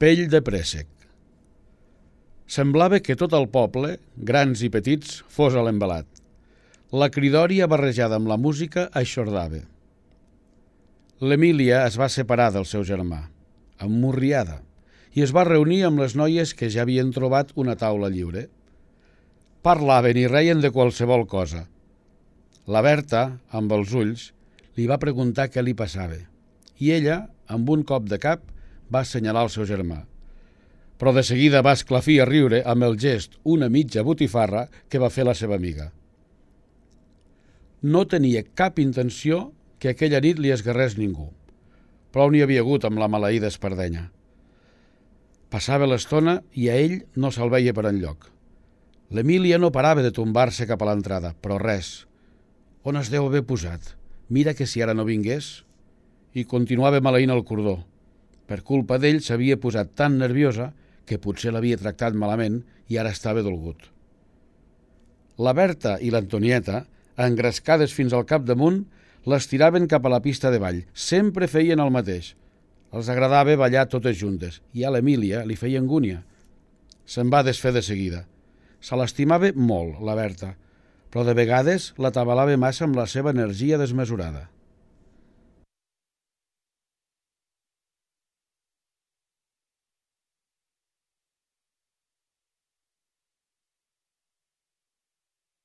Pell de préssec. Semblava que tot el poble, grans i petits, fos a l'embalat. La cridòria barrejada amb la música aixordava. L'Emília es va separar del seu germà, emmurriada, i es va reunir amb les noies que ja havien trobat una taula lliure. Parlaven i reien de qualsevol cosa. La Berta, amb els ulls, li va preguntar què li passava, i ella, amb un cop de cap, va assenyalar el seu germà. Però de seguida va esclafir a riure amb el gest una mitja botifarra que va fer la seva amiga. No tenia cap intenció que aquella nit li esgarrés ningú. Prou n'hi havia hagut amb la maleïda espardenya. Passava l'estona i a ell no se'l veia per enlloc. L'Emília no parava de tombar-se cap a l'entrada, però res. On es deu haver posat? Mira que si ara no vingués. I continuava maleint el cordó. Per culpa d'ell s'havia posat tan nerviosa que potser l'havia tractat malament i ara estava dolgut. La Berta i l'Antonieta, engrescades fins al capdamunt, les tiraven cap a la pista de ball. Sempre feien el mateix. Els agradava ballar totes juntes i a l'Emília li feia angúnia. Se'n va desfer de seguida. Se l'estimava molt, la Berta, però de vegades l'atabalava massa amb la seva energia desmesurada.